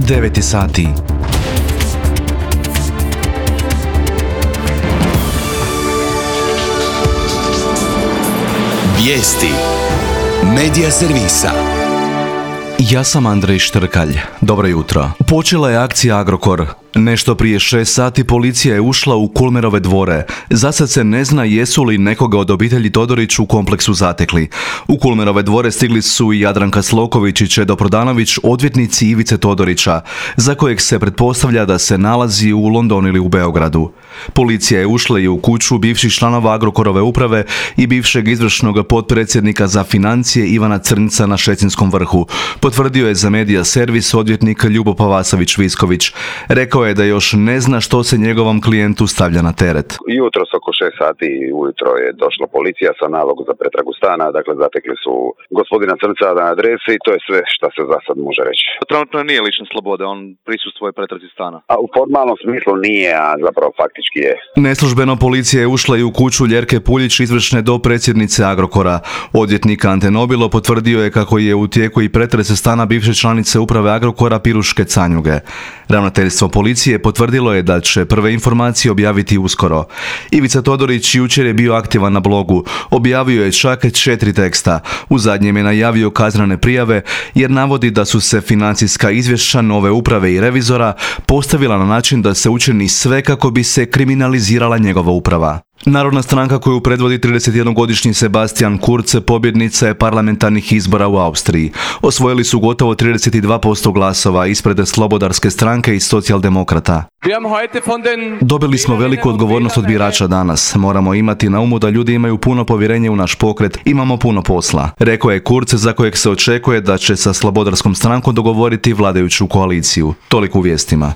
9 sati. Vijesti Medija servisa. Ja sam Andrej Štrkalj. Dobro jutro. Počela je akcija Agrokor. Nešto prije 6 sati policija je ušla u Kulmerove dvore. Zasad se ne zna jesu li nekoga od obitelji Todorić u kompleksu zatekli. U Kulmerove dvore stigli su i Jadranka Sloković i Čedo Prodanović, odvjetnici Ivice Todorića, za kojeg se pretpostavlja da se nalazi u Londonu ili u Beogradu. Policija je ušla i u kuću bivših članova Agrokorove uprave i bivšeg izvršnog potpredsjednika za financije Ivana Crnca na Šecinskom vrhu. Potvrdio je za Medija servis odvjetnik Ljubo Pavasović-Visković. Rekao je da još ne zna što se njegovom klijentu stavlja na teret. Jutros oko 6 sati ujutro je došla policija sa nalogom za pretragu stana, dakle zatekli su gospodina Crnca na adresi i to je sve što se za sad može reći. Trenutno nije lična sloboda, on prisustvuje pretrazi stana. A u formalnom smislu nije, a zapravo faktički je. Neslužbeno policija je ušla i u kuću Ljerke Puljić, izvršne dopredsjednice Agrokora. Odvjetnik Ante Nobilo potvrdio je kako je u tijeku i pretres stana bivše članice uprave Agrokora Piruške Canjuge. Ravnateljstvo policije potvrdilo je da će prve informacije objaviti uskoro. Ivica Todorić jučer je bio aktivan na blogu. Objavio je čak 4 teksta. U zadnjem je najavio kaznene prijave jer navodi da su se financijska izvješća nove uprave i revizora postavila na način da se učini sve kako bi se kriminalizirala njegova uprava. Narodna stranka koju predvodi 31-godišnji Sebastian Kurz pobjednica je parlamentarnih izbora u Austriji. Osvojili su gotovo 32% glasova ispred Slobodarske stranke i socijaldemokrata. Dobili smo veliku odgovornost od birača danas. Moramo imati na umu da ljudi imaju puno povjerenje u naš pokret, imamo puno posla. Rekao je Kurz, za kojeg se očekuje da će sa Slobodarskom strankom dogovoriti vladajuću koaliciju. Toliko u vijestima.